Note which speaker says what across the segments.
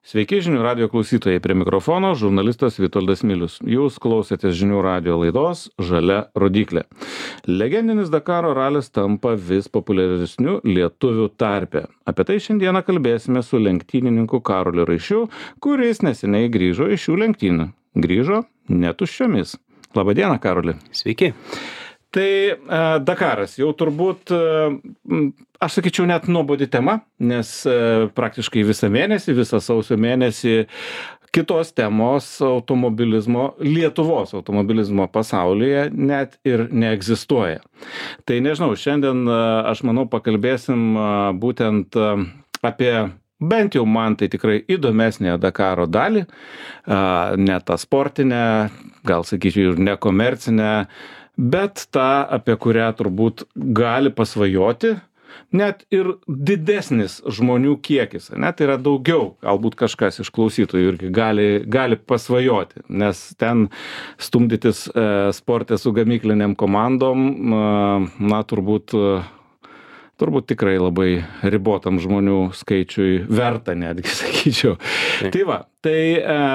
Speaker 1: Sveiki žinių radio klausytojai, prie mikrofono žurnalistas Vitoldas Milius. Jūs klausėtės žinių radio laidos Žalia rodyklė. Legendinis Dakaro ralis tampa vis populiaresniu lietuvių tarpe. Apie tai šiandieną kalbėsime su lenktynininku Karoliu Raišiu, kuris neseniai grįžo iš šių lenktynių. Grįžo netuščiomis. Labadiena, Karoli.
Speaker 2: Sveiki.
Speaker 1: Tai Dakaras jau turbūt, aš sakyčiau, net nuobodi tema, nes praktiškai visą sausio mėnesį kitos temos automobilizmo, Lietuvos automobilizmo pasaulyje net ir neegzistuoja. Tai nežinau, šiandien aš manau pakalbėsim būtent apie bent jau man tai tikrai įdomesnė Dakaro dalį, ne tą sportinę, gal sakyčiau ir nekomercinę, bet tą, apie kurią turbūt gali pasvajoti net ir didesnis žmonių kiekis. Net yra daugiau, galbūt kažkas iš klausytojų irgi gali pasvajoti, nes ten stumdytis sporte su gamykliniam komandom, na turbūt tikrai labai ribotam žmonių skaičiui verta netgi, sakyčiau. Tai va,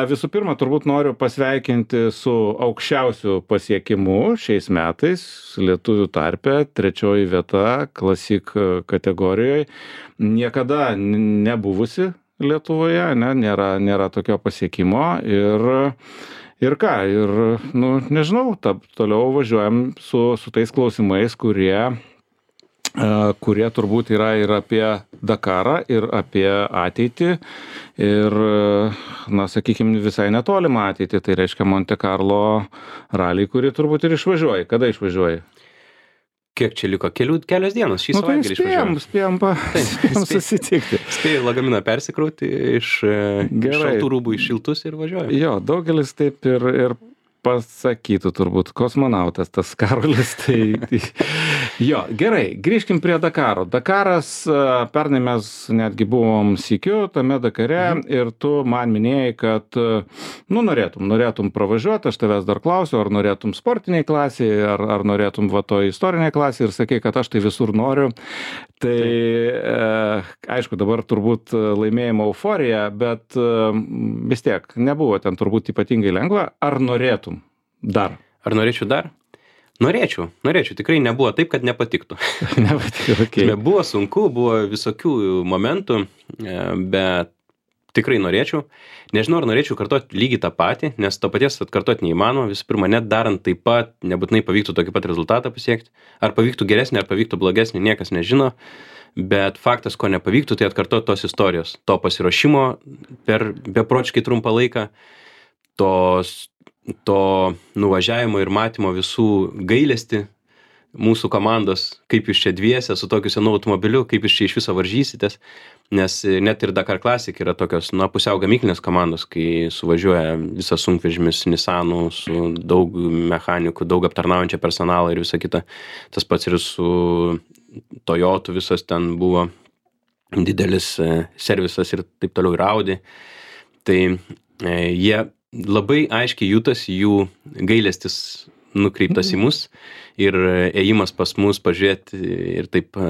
Speaker 1: visų pirma, turbūt noriu pasveikinti su aukščiausiu pasiekimu šiais metais lietuvių tarpe, 3 vieta Classic kategorijoje. Niekada nebuvusi Lietuvoje, nėra tokio pasiekimo ir ką, nežinau, toliau važiuojam su tais klausimais, kurie turbūt yra ir apie Dakarą, ir apie ateitį, ir, sakykime, visai netolimą ateitį, tai reiškia Monte Carlo ralį, kurį turbūt ir išvažiuoji. Kada išvažiuoji?
Speaker 2: Kiek čia liko? Kelios dienos šį savaitgalį išvažiuoju.
Speaker 1: Spėjom susitikti.
Speaker 2: Spėjau lagaminą persikrauti iš šaltų rūbų į šiltus ir važiuoju.
Speaker 1: Jo, daugelis taip ir pasakytų turbūt kosmonautas tas Karolis. Jo, gerai, grįžkim prie Dakaro. Dakaras, pernai mes netgi buvom sykiu tame Dakare ir tu man minėjai, kad norėtum pravažiuoti, aš tavęs dar klausiu, ar norėtum sportiniai klasiai, ar norėtum to istoriniai klasiai ir sakai, kad aš tai visur noriu. Tai aišku, dabar turbūt laimėjimo euforija, bet vis tiek nebuvo ten turbūt ypatingai lengva. Ar norėtum dar?
Speaker 2: Ar norėčiau dar? Norėčiau. Tikrai nebuvo taip, kad nepatiktų.
Speaker 1: Okay.
Speaker 2: Buvo sunku, buvo visokių momentų, bet tikrai norėčiau. Nežinau, ar norėčiau kartoti lygiai tą patį, nes to paties atkartoti neįmanoma. Visų pirma, net darant taip pat, nebūtinai pavyktų tokį pat rezultatą pasiekti. Ar pavyktų geresnį, ar pavyktų blogesnį, niekas nežino. Bet faktas, ko nepavyktų, tai atkartoti tos istorijos. To pasiruošimo per beprotiškai trumpą laiką, to nuvažiavimo ir matymo visų gailestį mūsų komandos, kaip jūs čia dviese su tokiu senu automobiliu, kaip jūs čia iš viso varžysitės, nes net ir Dakar Classic yra tokios, pusiau gamyklinės komandos, kai suvažiuoja visas sunkvežimis Nissanų su daug mechanikų, daug aptarnaujančio personalo ir visa kita. Tas pats ir su Toyota visas ten buvo didelis servisas ir taip toliau ir Audi. Tai jie labai aiškiai jutasi jų gailestis nukreiptas į mus ir ėjimas pas mus pažiūrėti ir taip,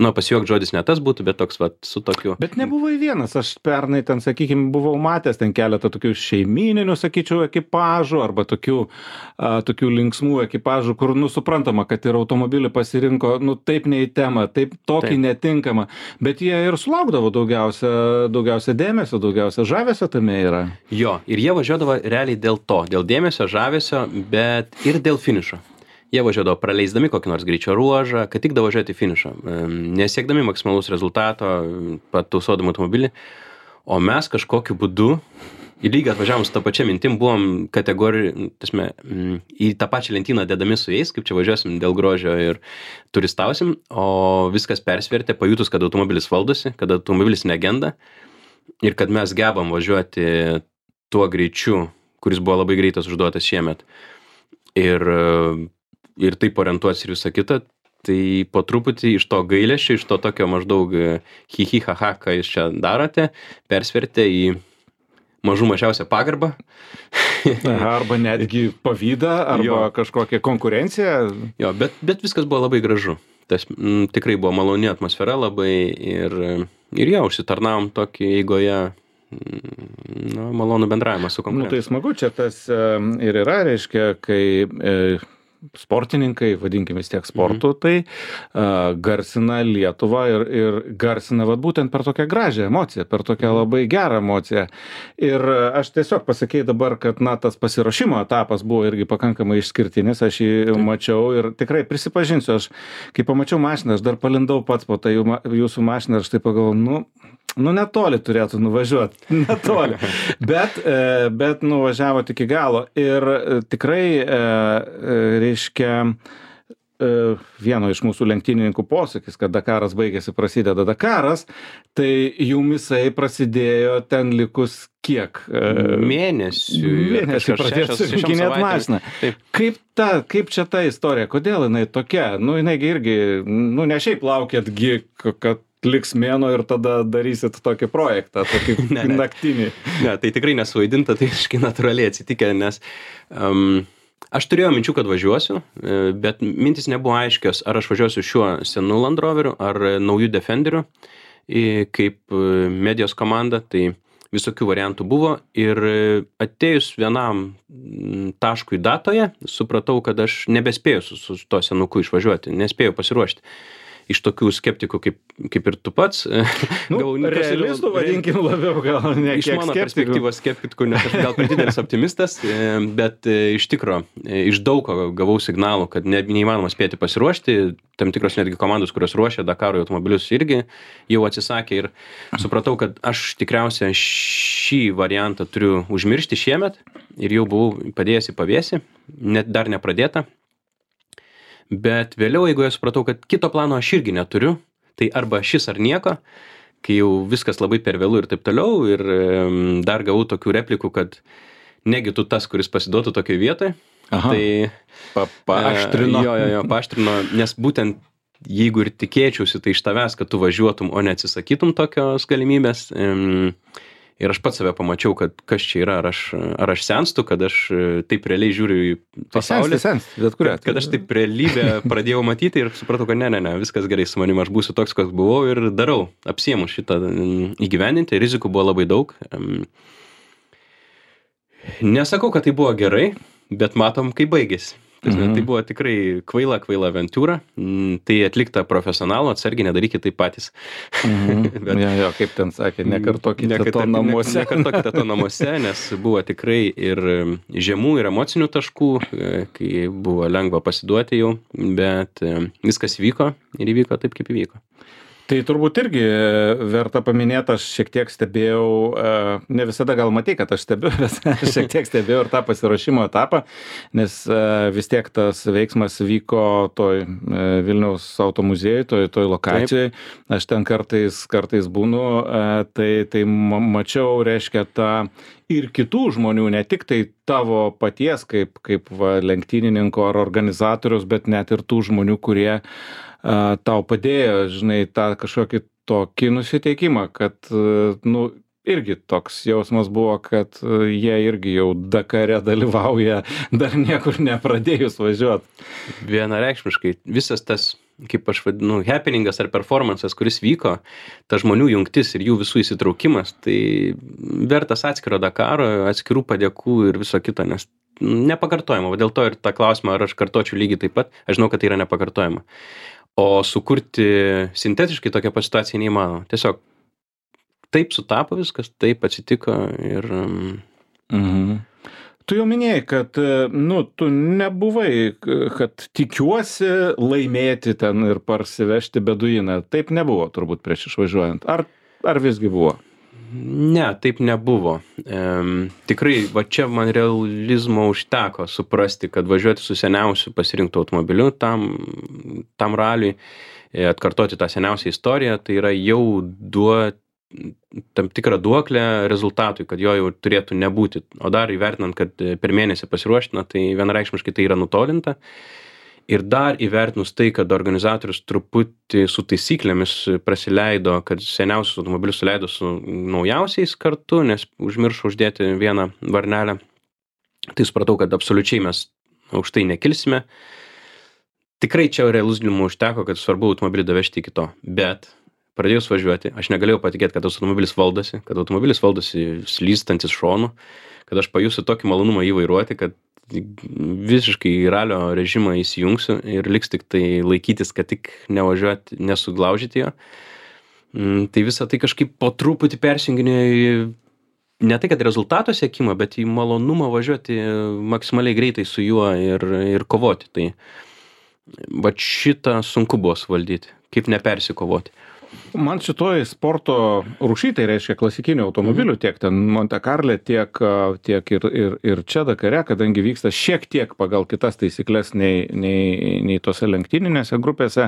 Speaker 2: pasijuokt žodis ne tas būtų, bet toks su tokiu.
Speaker 1: Bet nebuvai vienas, aš pernai ten, sakykime, buvau matęs ten keletą tokių šeimininių, sakyčiau, ekipažų arba tokių linksmų ekipažų, kur, suprantama, kad ir automobilį pasirinko, taip ne į temą, taip tokį netinkamą, bet jie ir sulaukdavo daugiausia dėmesio, daugiausia žavesio tame yra.
Speaker 2: Jo, ir jie važiuodavo realiai dėl dėmesio, žavesio, bet ir dėl finišo. Jie važiuodavo praleisdami kokį nors greičio ruožą, kad tik davažiuoti finišą, nesiekdami maksimalaus rezultato, patausodami automobilį, o mes kažkokiu būdu į lygą atvažiavom su tą pačią mintim, buvom į tą pačią lentyną dedami su jais, kaip čia važiuosim dėl grožio ir turistausim, o viskas persvertė, pajutus, kad automobilis valdosi, kad automobilis negenda ir kad mes gebam važiuoti tuo greičiu, kuris buvo labai greitas užduotas šiemet. Ir taip orientuotis ir visą kitą, tai po truputį iš to gailesčio, iš to tokio maždaug hi ha, ką jūs čia darote, persvertė į mažiausią pagarbą.
Speaker 1: Arba netgi pavydą, arba kažkokią konkurenciją.
Speaker 2: Jo, bet viskas buvo labai gražu. Tas tikrai buvo maloni atmosfera labai ir užsitarnavom tokį eigoje malonų bendravimą su
Speaker 1: Nu,
Speaker 2: konkurentu.
Speaker 1: tai smagu, čia tas ir yra, reiškia, kai sportininkai, vadinkime vis tiek sportu, tai garsina Lietuvą ir garsina vat, būtent per tokią gražią emociją, per tokią labai gerą emociją. Ir aš tiesiog pasakėjau dabar, kad na, tas pasiruošimo etapas buvo irgi pakankamai išskirtinis, aš jį mačiau ir tikrai prisipažinsiu, aš kai pamačiau mašiną, aš dar palindau pats po tą jūsų mašiną ir aš taip pagalvojau, nu netoli turėtų nuvažiuoti, netoli, bet nuvažiavot iki galo ir tikrai, reiškia, vieno iš mūsų lenktynininkų posakis, kad Dakaras baigėsi, prasideda Dakaras, tai jumisai prasidėjo ten likus kiek? Mėnesį pradėt surinkinėt mašiną. Kaip čia ta istorija, kodėl jinai tokia? Nu, jinai irgi, ne šiaip laukėtgi, kad liks mėnuo ir tada darysit tokį projektą, tokį naktinį.
Speaker 2: Ne, tai tikrai nesuvaidinta, tai iškai natūraliai atsitikę, nes aš turėjau minčių, kad važiuosiu, bet mintis nebuvo aiškios, ar aš važiuosiu šiuo senu Land Roveriu, ar naujų Defenderiu, kaip medijos komanda, tai visokių variantų buvo ir atėjus vienam taškui datoje, supratau, kad aš nebespėjau su to senuku išvažiuoti, nespėjau pasiruošti. Iš tokių skeptikų, kaip ir tu pats.
Speaker 1: Realistų vadinkim labiau, gal ne kiek skeptikų.
Speaker 2: Iš mano perspektyvos skeptikų, nes aš gal per didelis optimistas, bet iš tikro, iš daug ko gavau signalų, kad neįmanoma spėti pasiruošti. Tam tikros netgi komandos, kurios ruošia Dakarui automobilius, irgi jau atsisakė ir supratau, kad aš tikriausiai šį variantą turiu užmiršti šiemet ir jau buvau padėjęs į pavėsį, net dar nepradėta. Bet vėliau, jeigu aš supratau, kad kito plano aš irgi neturiu, tai arba šis ar nieko, kai jau viskas labai per vėlų ir taip toliau, ir dar gavau tokių replikų, kad negi tu tas, kuris pasiduotų tokiai vietoj.
Speaker 1: Aha.
Speaker 2: Tai
Speaker 1: paaštrino.
Speaker 2: Jo, paaštrino, nes būtent jeigu ir tikėčiausi, tai iš tavęs, kad tu važiuotum, o neatsisakytum tokios galimybės. Ir aš pats save pamačiau, kad kas čia yra, ar aš senstu, kad aš taip realiai žiūriu į pasaulį. Kad aš taip realybę pradėjau matyti ir supratau, kad ne, viskas gerai su manim, aš būsiu toks, koks buvau ir darau, apsiėmu šitą įgyvendinti, rizikų buvo labai daug. Nesakau, kad tai buvo gerai, bet matom, kaip baigėsi. Tai buvo tikrai kvaila aventūra, tai atlikta profesionalų, atsargiai nedarykite tai patys.
Speaker 1: Jo, kaip ten sakė, nekartokite to namuose.
Speaker 2: Nekartokite to namuose, nes buvo tikrai ir žemų, ir emocinių taškų, kai buvo lengva pasiduoti jau, bet viskas įvyko ir įvyko taip, kaip įvyko.
Speaker 1: Tai turbūt irgi verta paminėti, aš šiek tiek stebėjau, ne visada gal matai, kad aš stebiu, bet šiek tiek stebėjau ir tą pasiruošimo etapą, nes vis tiek tas veiksmas vyko toj Vilniaus automuziejui, toj lokacijai. Taip. Aš ten kartais būnu, tai mačiau, reiškia, tą ir kitų žmonių, ne tik tai tavo paties kaip lenktynininko ar organizatorius, bet net ir tų žmonių, kurie tau padėjo, žinai, tą kažkokį tokį nusiteikimą, kad, irgi toks jausmas buvo, kad jie irgi jau Dakare dalyvauja, dar niekur nepradėjus važiuoti.
Speaker 2: Vienareikšmiškai, visas tas, kaip aš vadinu, happeningas ar performances, kuris vyko, ta žmonių jungtis ir jų visų įsitraukimas, tai vertas atskiro Dakaro, atskirų padėkų ir viso kito, nes nepakartojama. Dėl to ir tą klausimą, ar aš kartočiau lygiai taip pat, aš žinau, kad tai yra nepakartojama. O sukurti sintetiškai tokią situaciją neįmanoma. Tiesiog taip sutapo viskas, taip atsitiko ir...
Speaker 1: Tu jau minėjai, kad, tu nebuvai, kad tikiuosi laimėti ten ir parsivežti beduiną. Taip nebuvo turbūt prieš išvažiuojant. Ar visgi buvo?
Speaker 2: Ne, taip nebuvo. Tikrai, va čia man realizmo užteko suprasti, kad važiuoti su seniausiu pasirinktų automobiliu tam raliui, atkartoti tą seniausią istoriją, tai yra jau tam tikrą duoklę rezultatui, kad jo jau turėtų nebūti. O dar įvertinant, kad per mėnesį pasiruoština, tai vienareikšmiškai tai yra nutolinta. Ir dar įvertinus tai, kad organizatorius truputį su taisyklėmis prasileido, kad seniausius automobilius suleido su naujausiais kartu, nes užmiršo uždėti vieną varnelę, tai supratau, kad absoliučiai mes aukštai nekilsime. Tikrai čia realizmo užteko, kad svarbu automobilį davežti iki to. Bet pradėjus važiuoti, aš negalėjau patikėti, kad automobilis valdosi slystantis šonu, kad aš pajusiu tokį malonumą jį vairuoti, kad visiškai į ralio režimą įsijungsiu ir liks tik tai laikytis, kad tik nevažiuoti, nesuglaužyti jo. Tai visą tai kažkaip po truputį persijunginėjo į ne tai, kad rezultato siekimą, bet į malonumą važiuoti maksimaliai greitai su juo ir kovoti. Tai va šitą sunku buvo suvaldyti, kaip nepersikovoti.
Speaker 1: Man šitoj sporto rūšy, tai reiškia klasikinių automobilių, tiek ten Monte Carle, tiek ir čia Dakare, kadangi vyksta šiek tiek pagal kitas taisyklės nei tose lenktyninėse grupėse.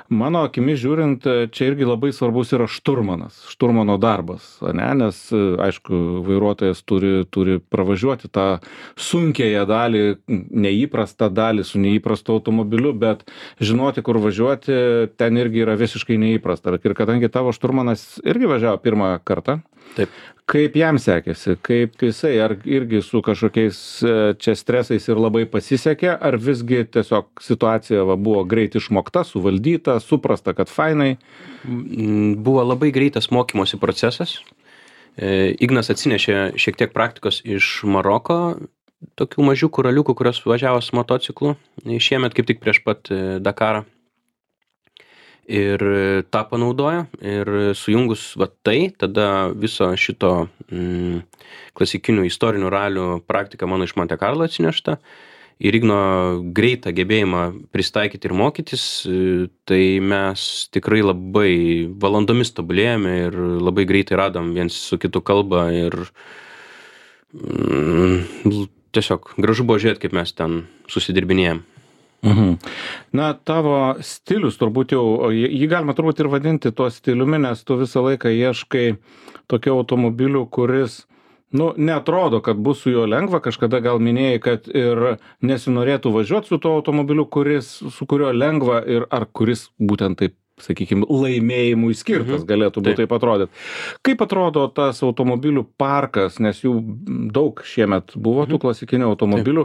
Speaker 1: Mano akimis žiūrint, čia irgi labai svarbus yra šturmano darbas, ne? Nes, aišku, vairuotojas turi pravažiuoti tą sunkėją dalį, neįprastą dalį su neįprastu automobiliu, bet žinoti, kur važiuoti, ten irgi yra visiškai neįprasta. Ir kadangi tavo šturmanas irgi važiavo pirmą kartą,
Speaker 2: Taip.
Speaker 1: kaip jam sekėsi, kaip jisai, ar irgi su kažkokiais čia stresais ir labai pasisekė, ar visgi tiesiog situacija buvo greit išmokta, suvaldyta, suprasta, kad fainai?
Speaker 2: Buvo labai greitas mokymosi procesas. Ignas atsinešė šiek tiek praktikos iš Maroko, tokių mažiukų raliukų, kurios važiavo su motociklu šiemet kaip tik prieš pat Dakarą. Ir tą panaudojo ir sujungus va tai, tada viso šito klasikinių istorinių ralių praktika mano iš Monte Carlo atsinešta ir Igno greitą gebėjimą pristaikyti ir mokytis, tai mes tikrai labai valandomis tobulėjome ir labai greitai radom viens su kitu kalbą ir tiesiog gražu buvo žiūrėti, kaip mes ten susidirbinėjom.
Speaker 1: Na, tavo stilius turbūt jau, jį galima turbūt ir vadinti tuo stiliumi, nes tu visą laiką ieškai tokio automobilių, kuris, neatrodo, kad bus su juo lengva, kažkada gal minėjai, kad ir nesinorėtų važiuoti su tuo automobiliu, su kurio lengva ir ar kuris būtent taip, sakykime, laimėjimui skirtas galėtų būti taip atrodyti. Kaip atrodo tas automobilių parkas, nes jų daug šiemet buvo tų klasikinių automobilių,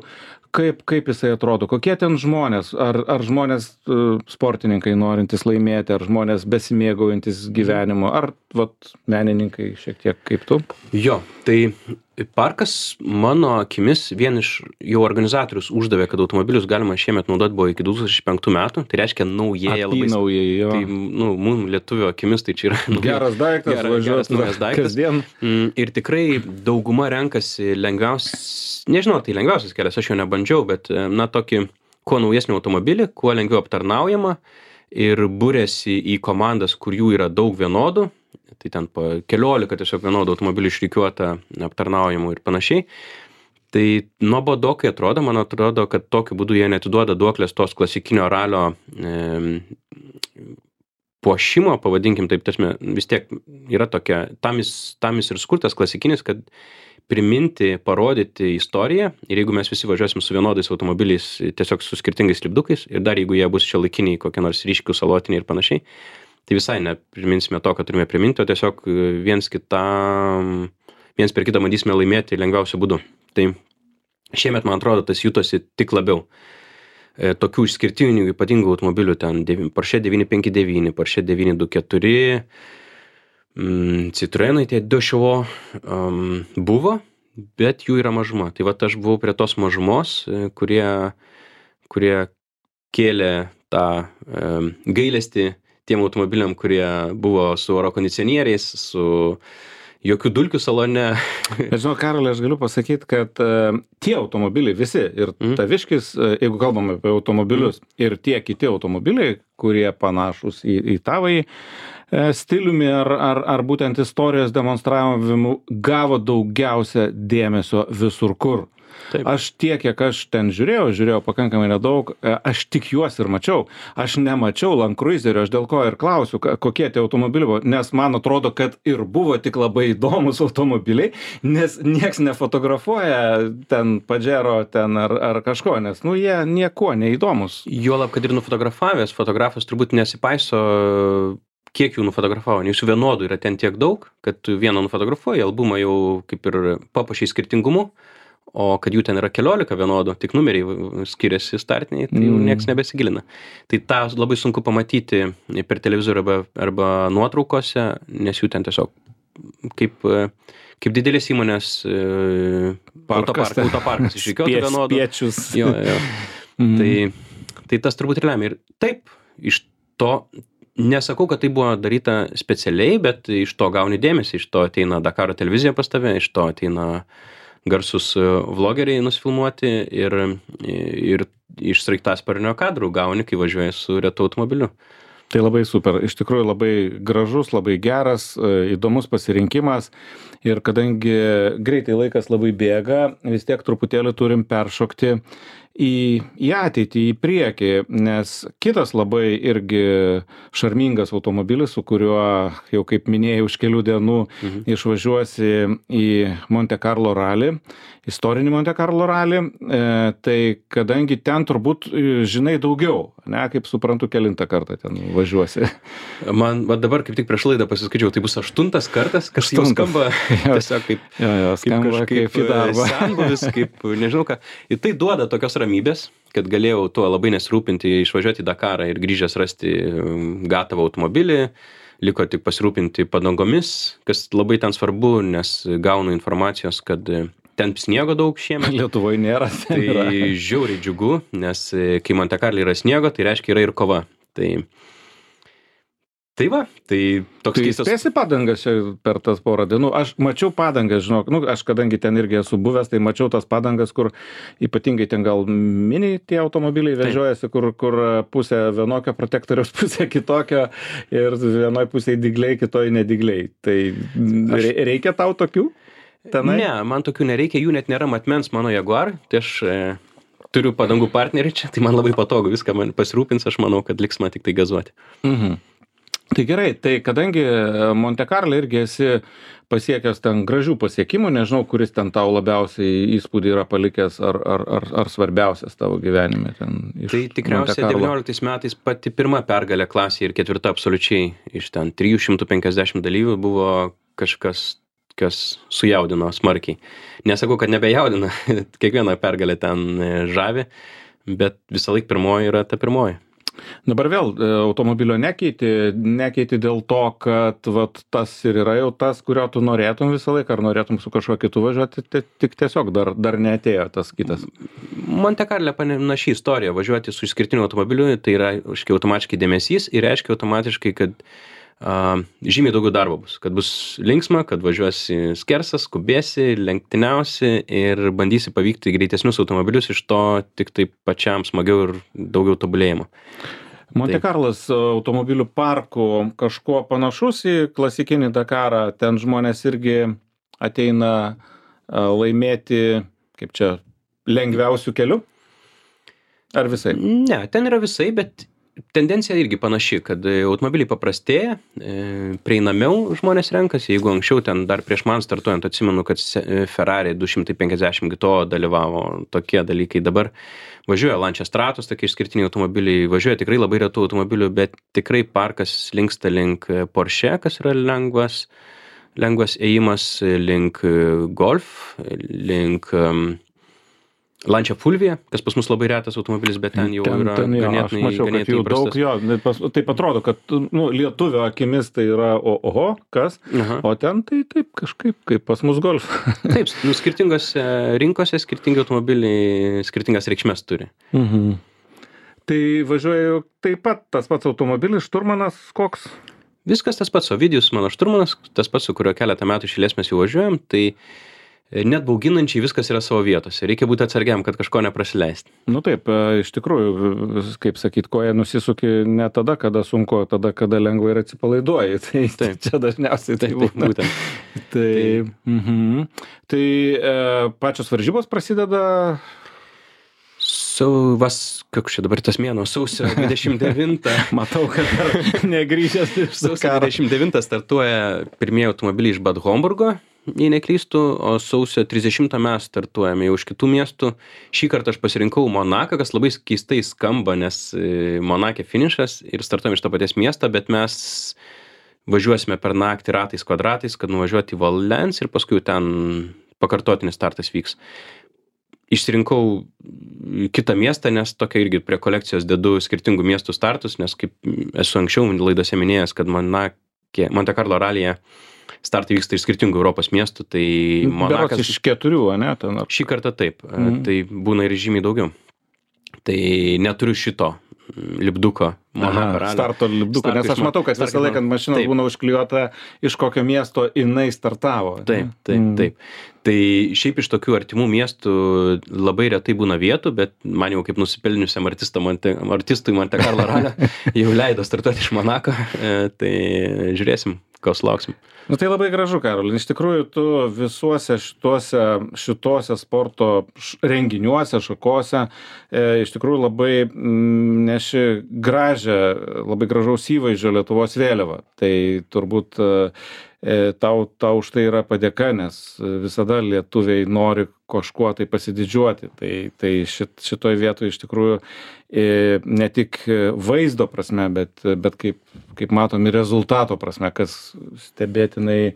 Speaker 1: kaip jisai atrodo, kokie ten žmonės, ar žmonės sportininkai norintys laimėti, ar žmonės besimėgaujantis gyvenimu, ar menininkai šiek tiek kaip tu?
Speaker 2: Jo, tai parkas mano akimis vien iš jau organizatorius uždavė, kad automobilius galima šiemet naudoti buvo iki 2005 metų, tai reiškia naujėja labai.
Speaker 1: Apynaujai, jo.
Speaker 2: Tai, mum lietuvio akimis tai čia yra
Speaker 1: geras daiktas,
Speaker 2: geras naujas daiktas.
Speaker 1: Kasdien.
Speaker 2: Ir tikrai dauguma renkasi nežinau, tai lengviausias kelias, aš jo nebandžiau, bet tokį kuo naujesnį automobilį, kuo lengviau aptarnaujama ir būrėsi į komandas, kur jų yra daug vienodų, tai ten po 14 tiesiog vienodų automobilių išrikiuota aptarnaujamų ir panašiai. Tai nuobodokai atrodo, man atrodo, kad tokiu būdu jie neatiduoda duoklės tos klasikinio ralio puošimo, pavadinkim taip, vis tiek yra tokia, tam jis ir skurtas klasikinis, kad priminti, parodyti istoriją ir jeigu mes visi važiuosim su vienodais automobiliais, tiesiog su skirtingais lipdukais ir dar jeigu jie bus šiuolaikiniai, kokie nors ryškių salotiniai ir panašiai, tai visai nepriminsime to, kad turime priminti, o tiesiog viens per kitą bandysime laimėti lengviausiu būdu. Tai šiemet, man atrodo, tas jutosi tik labiau. Tokių išskirtinių ypatingų automobilių, ten Porsche 959, Porsche 924, Citroenai tie Dešovo buvo, bet jų yra mažuma. Tai aš buvau prie tos mažumos, kurie kėlė tą gailestį tiem automobiliam, kurie buvo su oro kondicionieriais, su jokių dulkių salone.
Speaker 1: Žinau, Karolai, aš galiu pasakyti, kad tie automobiliai visi, ir Taviškis, jeigu kalbame apie automobilius, ir tie kiti automobiliai, kurie panašus į tavąjį stiliumi ar būtent istorijos demonstravimu, gavo daugiausia dėmesio visur kur.
Speaker 2: Taip.
Speaker 1: Aš tiek, kiek aš ten žiūrėjau pakankamai nedaug, aš tik juos ir mačiau. Aš nemačiau Land Cruiserio, aš dėl ko ir klausiu, kokie tie automobiliai buvo, nes man atrodo, kad ir buvo tik labai įdomus automobiliai, nes nieks nefotografuoja ten Pajero ten ar kažko, nes jie nieko neįdomus.
Speaker 2: Juolab, kad ir nufotografavęs, fotografas turbūt nesipaiso, kiek jų nufotografavo, nes jų vienodų yra ten tiek daug, kad tu vieną nufotografuoji, albumą jau kaip ir papuošiai skirtingumu, o kad jų ten yra 14 vienodų, tik numeriai skiriasi startiniai, tai jau nieks nebesigilina. Tai tą labai sunku pamatyti per televizorių arba nuotraukose, nes jų ten tiesiog kaip didelės įmonės autoparkas išrikiuotų vienodų.
Speaker 1: Spiečius.
Speaker 2: Jo. Tai tas turbūt ir lemia. Ir taip, iš to nesakau, kad tai buvo daryta specialiai, bet iš to gauni dėmesį, iš to ateina Dakaro televizija pas tave, iš to ateina garsus vlogeriai nusifilmuoti ir iš sraigtasparnio kadrų gauni, kai važiuoji su retu automobiliu.
Speaker 1: Tai labai super, iš tikrųjų labai gražus, labai geras, įdomus pasirinkimas ir kadangi greitai laikas labai bėga, vis tiek truputėlį turim peršokti į ateitį, į priekį, nes kitas labai irgi šarmingas automobilis, su kuriuo jau kaip minėjau už kelių dienų išvažiuosi į Monte Carlo rally, istorinį Monte Carlo rally, tai kadangi ten turbūt žinai daugiau, ne, kaip suprantu, kelintą kartą ten važiuosi.
Speaker 2: Man dabar kaip tik prieš laidą pasiskaičiau, tai bus 8 kartas, kas jau skamba tiesiog kaip į darbą. Senbuvis, kaip nežinau ką. Ir tai duoda tokios ramybės, kad galėjau tuo labai nesirūpinti, išvažiuoti į Dakarą ir grįžęs rasti gatavą automobilį, liko tik pasirūpinti padangomis, kas labai ten svarbu, nes gaunu informacijos, kad ten sniego daug šiemet.
Speaker 1: Lietuvoje nėra.
Speaker 2: Tai žiauriai džiugu, nes kai Monte Carlo yra sniego, tai reiškia yra ir kova. Tai va, tai toks keistas.
Speaker 1: Tai spėsi padangas per tas porą dienų. Aš mačiau padangas, žinok, aš kadangi ten irgi esu buvęs, tai mačiau tas padangas, kur ypatingai ten gal mini tie automobiliai vežiojasi, kur pusė vienokio protektoriaus, pusė kitokio ir vienoj pusėje dygliai, kitoj nedygliai. Tai reikia tau tokių? Tenai?
Speaker 2: Ne, man tokių nereikia, jų net nėra matmens mano Jaguar, tai aš turiu padangų partnerį čia, tai man labai patogu, viską man pasirūpins, aš manau, kad liks man tik tai gazuoti.
Speaker 1: Tai gerai, tai kadangi Monte Carlo irgi esi pasiekęs ten gražių pasiekimų, nežinau, kuris ten tau labiausiai įspūdį yra palikęs ar svarbiausias tavo gyvenime ten iš
Speaker 2: Tai tikriausiai 19 metais pati pirma pergalė klasėje ir 4 absoliučiai iš ten 350 dalyvių buvo kažkas, kas sujaudino smarkiai. Nesakau, kad nebejaudina, kiekviena pergalė ten žavi, bet visą laiką pirmoji yra ta pirmoji.
Speaker 1: Dabar vėl automobilio nekeiti dėl to, kad vat, tas ir yra jau tas, kurio tu norėtum visą laiką, ar norėtum su kažkuo kitu važiuoti, tik tiesiog dar neatėjo tas kitas.
Speaker 2: Monte Carlo panaši istorija, važiuoti su išskirtiniu automobiliu, tai yra automatiškai dėmesys ir reiškia automatiškai, kad žymiai daugiau darbo bus, kad bus linksma, kad važiuosi skersas, skubėsi, lenktyniausi ir bandysi pavykti greitesnius automobilius, iš to tik tai pačiam smagiau ir daugiau tobulėjimo.
Speaker 1: Monte Carlas automobilių parkų kažkuo panašus į klasikinį Dakarą, ten žmonės irgi ateina laimėti, kaip čia, lengviausių kelių? Ar visai?
Speaker 2: Ne, ten yra visai, bet tendencija irgi panaši, kad automobiliai paprastėja, prieinamiau žmonės renkasi, jeigu anksčiau ten dar prieš man startuojant atsimenu, kad Ferrari 250 GTO dalyvavo tokie dalykai, dabar važiuoja Lancia Stratos, tokie išskirtiniai automobiliai, važiuoja tikrai labai retų automobilių, bet tikrai parkas linksta link Porsche, kas yra lengvas ėjimas, link Golf, link Lancia Fulvia, kas pas mus labai retas automobilis, bet ten jau yra ganėtinai įprastas.
Speaker 1: Taip atrodo, kad lietuvio akimis tai yra oho, kas, o ten tai taip kažkaip kaip pas mus Golf.
Speaker 2: Taip, skirtingose rinkose skirtingi automobiliai skirtingas reikšmės turi.
Speaker 1: Tai važiuoju taip pat tas pats automobilis, šturmanas koks?
Speaker 2: Viskas tas pats, Ovidijus mano šturmanas, tas pats, su kurio keletą metų iš eilės mes jau važiuojam, tai net bauginančiai viskas yra savo vietose. Reikia būti atsargiam, kad kažko neprasileisti.
Speaker 1: Nu taip, iš tikrųjų, kaip sakyt, koja nusisuki ne tada, kada sunku, o tada, kada lengvai ir atsipalaiduoji. Tai čia dažniausiai tai būna. Tai pačios varžybos prasideda...
Speaker 2: Koks čia dabar tas mėnuo, sausio 29.
Speaker 1: Matau, kad dar negrįžęs iš
Speaker 2: sausio 29 startuoja pirmieji automobiliai iš Bad Homburgo, jei neklystu, o sausio 30 mes startuojame jau iš kitų miestų. Šį kartą aš pasirinkau Monaką, kas labai keistai skamba, nes Monake finišas ir startuojame iš to paties miesto, bet mes važiuosime per naktį ratais kvadratais, kad nuvažiuoti į Valens ir paskui ten pakartotinis startas vyks. išsirinkau kitą miestą, nes tokia irgi prie kolekcijos dedu skirtingų miestų startus, nes kaip esu anksčiau laidose minėjęs, kad Monte Carlo ralyje startai vyksta iš skirtingų Europos miestų, tai
Speaker 1: Monakas... Berods iš 4, ne?
Speaker 2: Šį kartą taip, tai būna ir žymiai daugiau. Tai neturiu šito lipduko Monako ralio.
Speaker 1: Starto lipduko, nes aš matau, kad visą laiką mašina būna užklijuota, iš kokio miesto jinai startavo.
Speaker 2: Taip. Tai šiaip iš tokių artimų miestų labai retai būna vietų, bet man jau kaip nusipelniusiam artistui Monte Carlo ralio jau leido startuoti iš Monako, tai žiūrėsim, ko sulauksim.
Speaker 1: Nu tai labai gražu, Karoli. Iš tikrųjų, tu visuose šituose sporto renginiuose, šakose, iš tikrųjų labai neši gražią, labai gražaus įvaizdžio Lietuvos vėliavą. Tai turbūt tau už tai yra padėka, nes visada lietuviai nori kažkuo tai pasididžiuoti. Tai šitoj vietoje iš tikrųjų ne tik vaizdo prasme, bet kaip matom ir rezultato prasme, kas stebėtinai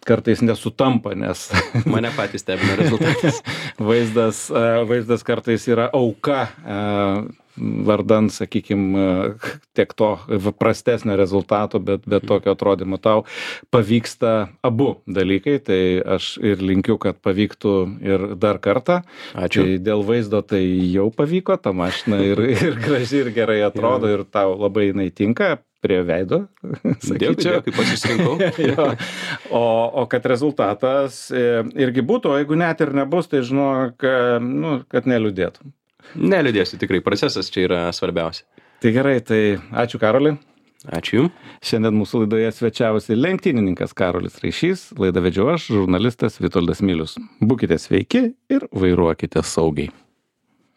Speaker 1: kartais nesutampa, nes
Speaker 2: mane patys stebina rezultatas.
Speaker 1: Vaizdas kartais yra auka vardan, sakykime, tiek to prastesnio rezultato, bet tokio atrodymo tau pavyksta abu dalykai, tai aš ir linkiu, kad pavyktų ir dar kartą.
Speaker 2: Ačiū.
Speaker 1: Tai dėl vaizdo tai jau pavyko, ta mašina ir graži, ir gerai atrodo, ir tau labai jinai tinka prie veido, sakyčiau.
Speaker 2: Dėkui, pasisirinkau.
Speaker 1: O kad rezultatas irgi būtų, o jeigu net ir nebus, tai žinok, kad neliūdėtum.
Speaker 2: Neliūdėsiu, tikrai, procesas čia yra svarbiausia.
Speaker 1: Tai gerai, tai ačiū, Karoli.
Speaker 2: Ačiū Jums.
Speaker 1: Šiandien mūsų laidoje svečiavosi lenktynininkas Karolis Raišys, laidą vedžiau aš, žurnalistas Vitoldas Milius. Būkite sveiki ir vairuokite saugiai.